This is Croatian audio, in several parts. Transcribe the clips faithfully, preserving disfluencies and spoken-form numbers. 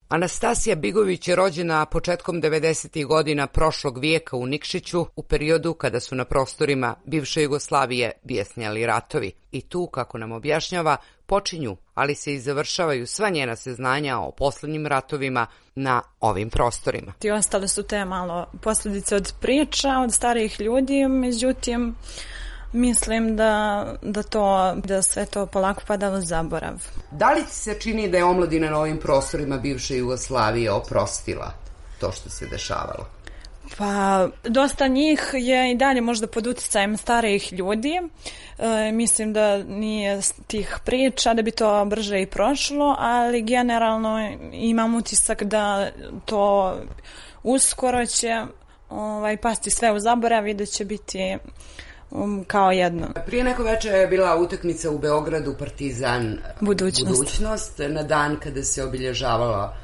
Anastasija Bigović je rođena početkom devedesetih godina prošlog vijeka u Nikšiću, u periodu kada su na prostorima bivše Jugoslavije bijesnjali ratovi. I tu, kako nam objašnjava, počinju, ali se i završavaju sva njena saznanja o posljednjim ratovima na ovim prostorima. I ostale su te malo posljedice od priča, od starijih ljudi, međutim, mislim da, da, to, da sve to polako pada u zaborav. Da li ti se čini da je omladina na ovim prostorima bivše Jugoslavije oprostila to što se dešavalo? Pa, dosta njih je i dalje možda pod utjecajem starijih ljudi. E, mislim da nije tih priča, da bi to brže i prošlo, ali generalno imam utisak da to uskoro će ovaj, pasti sve u zaborav i da će biti Um, kao jedno. Prije neko večer je bila utakmica u Beogradu Partizan Budućnost, Budućnost na dan kada se obilježavala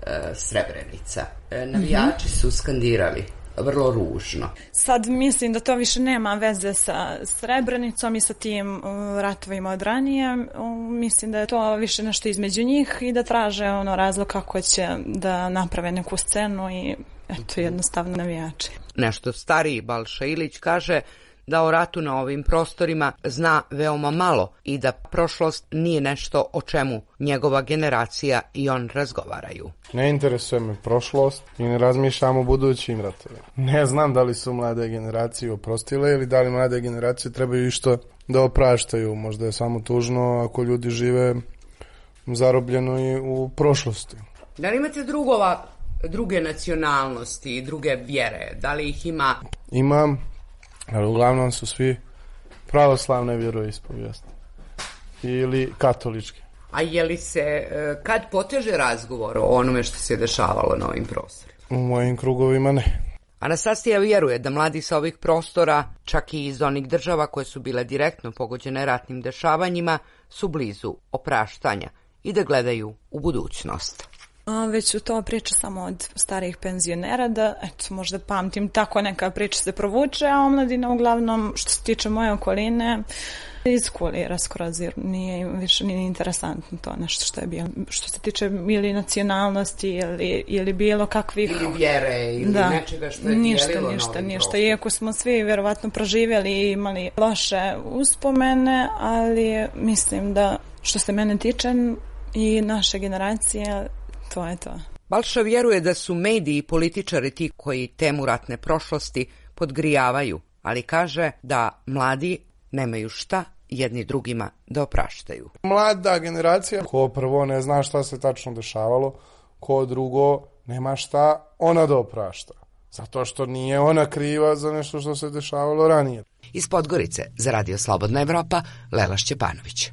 e, Srebrenica. E, navijači mm-hmm. su skandirali vrlo ružno. Sad mislim da to više nema veze sa Srebrenicom i sa tim uh, ratovima od ranije. Uh, mislim da je to više nešto između njih i da traže ono razlog kako će da naprave neku scenu i eto jednostavno navijači. Nešto stariji Balša Ilić kaže da o ratu na ovim prostorima zna veoma malo i da prošlost nije nešto o čemu njegova generacija i on razgovaraju. Ne interesuje me prošlost i ne razmišljam o budućim ratovima. Ne znam da li su mlade generacije oprostile ili da li mlade generacije trebaju išto da opraštaju. Možda je samo tužno ako ljudi žive zarobljeno i u prošlosti. Da li imate drugova, druge nacionalnosti i druge vjere? Da li ih ima? Imam. Ali uglavnom su svi pravoslavne vjeroispovijesti ili katoličke. A je li se, kad poteže razgovor o onome što se dešavalo na ovim prostorima? U mojim krugovima ne. Anastasija vjeruje da mladi sa ovih prostora, čak i iz onih država koje su bile direktno pogođene ratnim dešavanjima, su blizu opraštanja i da gledaju u budućnost. Već su to priča samo od starijih penzionera, da eto, možda pamtim tako neka priča se provuče, a omladina uglavnom, što se tiče moje okoline, iskulira skroz, jer nije više nije interesantno to nešto što je bilo. Što se tiče ili nacionalnosti ili, ili bilo kakvih... Ili vjere ili da, nečega što je ništa, dijelilo ništa, na ovim ništa. prostorima. Iako smo svi vjerovatno proživjeli i imali loše uspomene, ali mislim da što se mene tiče i naše generacije, to je to. Balša vjeruje da su mediji i političari ti koji temu ratne prošlosti podgrijavaju, ali kaže da mladi nemaju šta jedni drugima da opraštaju. Mlada generacija, ko prvo ne zna šta se tačno dešavalo, ko drugo nema šta ona da oprašta. Zato što nije ona kriva za nešto što se dešavalo ranije. Iz Podgorice za Radio Slobodna Evropa, Lela Šćepanović.